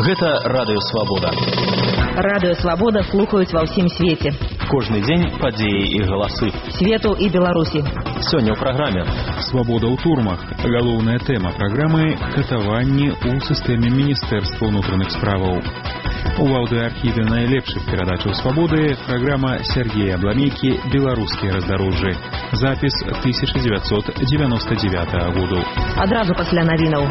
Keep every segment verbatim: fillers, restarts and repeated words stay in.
Гэта Радыё Свабода. Радыё Свабода слухаюць ва ўсім свеце. Кожны дзень падзеі і галасы. Свету і Беларусі. Сёння ў праграме «Свабода ў турмах». Галоўная тэма праграмы – катаванні ў сістэме Міністэрства ўнутраных справаў. У аўдыоархіве найлепшых перадачаў «Свабоды» праграма Сергея Абламейкі «Беларускія раздарожжы». Запіс тысяча девятьсот девяносто девятого году. Адразу пасля навінаў.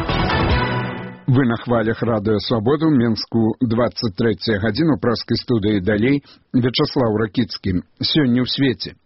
Вы на хвалях Радыё Свабоду, Менску, двадцать третья гадзіну, праскай студыі далей, Вячаслаў Ракіцкі. Сёння ў свеце.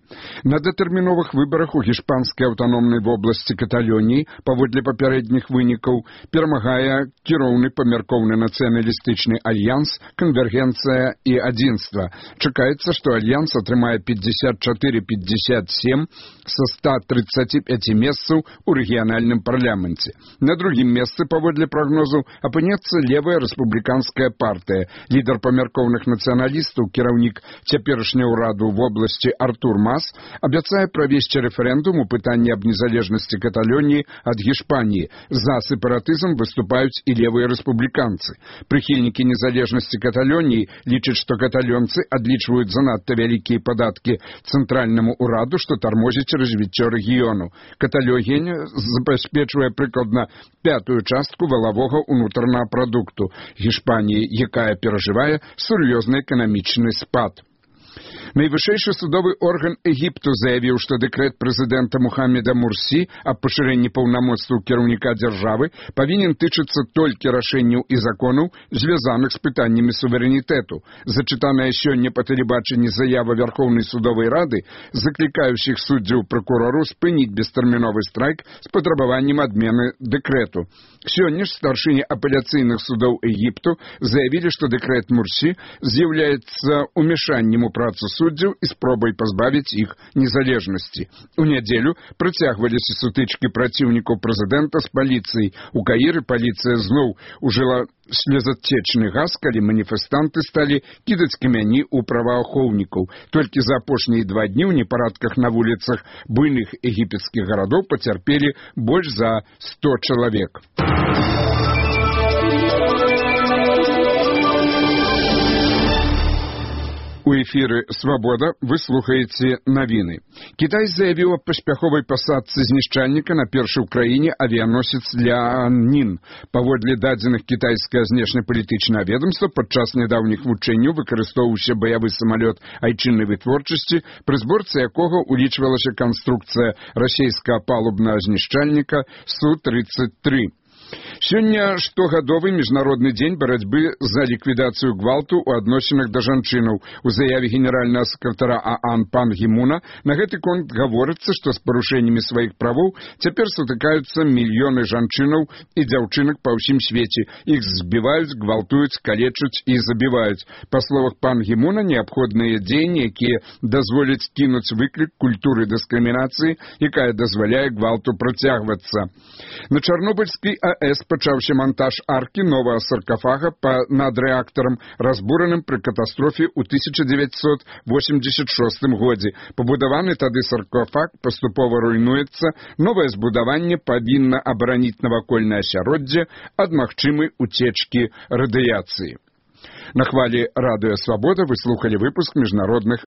На датэрміновых выбарах у гішпанскай аўтаномнай вобласці Каталоніі, паводле папярэдніх вынікаў, перамагае кіроўны памяркоўны нацыяналістычны альянс «Канвергенцыя і адзінства». Чакаецца, што альянс атрымае пятьдесят четыре пятьдесят семь са ста тридцати пяти месцаў у рэгіянальным парламенце. На другім месцы, паводле прагнозу, апынецца левая рэспубліканская партыя. Лідар памяркоўных нацыяналістаў, кіраўнік цяперашняга ўраду ў вобласці Артур Мас, абяцае правесці рэферэндум у пытанні аб незалежнасці Каталоніі ад Гішпаніі. За сепаратызм выступаюць і левыя рэспубліканцы. Прыхільнікі незалежнасці Каталоніі лічаць, што каталонцы адлічваюць занадта вялікія падаткі цэнтральнаму ўраду, што тармозіць развіццё рэгіёну. Каталонія забяспечвае прыкладна пятую частку валавога ўнутранага прадукту Гішпаніі, якая перажывае сур'ёзны эканамічны спад. Найвышэйшы судовы орган Егіпту заявіў, што дэкрэт прэзідэнта Мухаммеда Мурсі аб пашырэнні паўнамоцтваў кіраўніка дзяржавы павінен тычыцца толькі рашэнняў і законаў, звязаных з пытаннямі суверэнітэту. Зачытаная сёння па тэлебачанні заява Вярхоўнай судовай рады, заклікаючых суддзяў пракурору спыніць бестэрміновы страйк з патрабаваннем адмены дэкрэту. Сёння ж старшыні апеляцыйных судоў Егіпту заявілі, што дэкрэт Мурсі з'яўляецца умешаннем у працу суддзяў і спробай пазбавіць іх незалежнасці. У нядзелю працягваліся сутычкі праціўнікаў прэзідэнта з паліцыяй. У Каіры паліцыя зноў ужыла слезатечны газ, калі маніфестанты сталі кідаць камяні ў праваахоўнікаў. Толькі за апошнія два дні ў непарадках на вуліцах буйных егіпецкіх гарадоў пацярпелі больш за сто чалавек. У эфіры «Свабода» вы слухаеце навіны. Кітай заявіў аб паспяховай пасадцы знішчальніка на першы ў краіне авіяносец Ляннін. Паводле дадзеных кітайскае знешнепалітычнае ведомства, падчас нядаўніх вучэнняў выкарыстоўваўся баявы самалёт айчыннай вытворчасці, пры зборцы якога улічвалася канструкцыя расійскага палубнага знішчальніка Су тридцать три. Сёння штогадовы міжнародны дзень барацьбы за ліквідацыю гвалту ў адносінах да жанчынаў. У заяве генеральнага сакратара ААН Пан Гі Муна на гэты конт гаворыцца, што з парушэннямі сваіх правоў цяпер сутыкаюцца мільёны жанчынаў і дзяўчынак па ўсім свеце. Іх збіваюць, гвалтуюць, калечуць і забіваюць. Па словах Пан Гі Муна, неабходныя дзеянні, якія дазволяць кінуць выклік культуры дыскрымінацыі, якая дазваляе гвалту працягвацца. На Чарнобыльскай АЭС пачаўся монтаж аркі новага саркафага па над рэактарам, разбураным пры катастрофе ў тысяча дзевяцьсот восемьдесят шостым годзе. Пабудаваны тады саркафаг паступова руйнуецца, новае збудаванне павінна абараніць навакольнае асяроддзе ад магчымай уцечкі радыяцыі. На хвалі Радыё Свабода вы слухалі выпуск міжнародных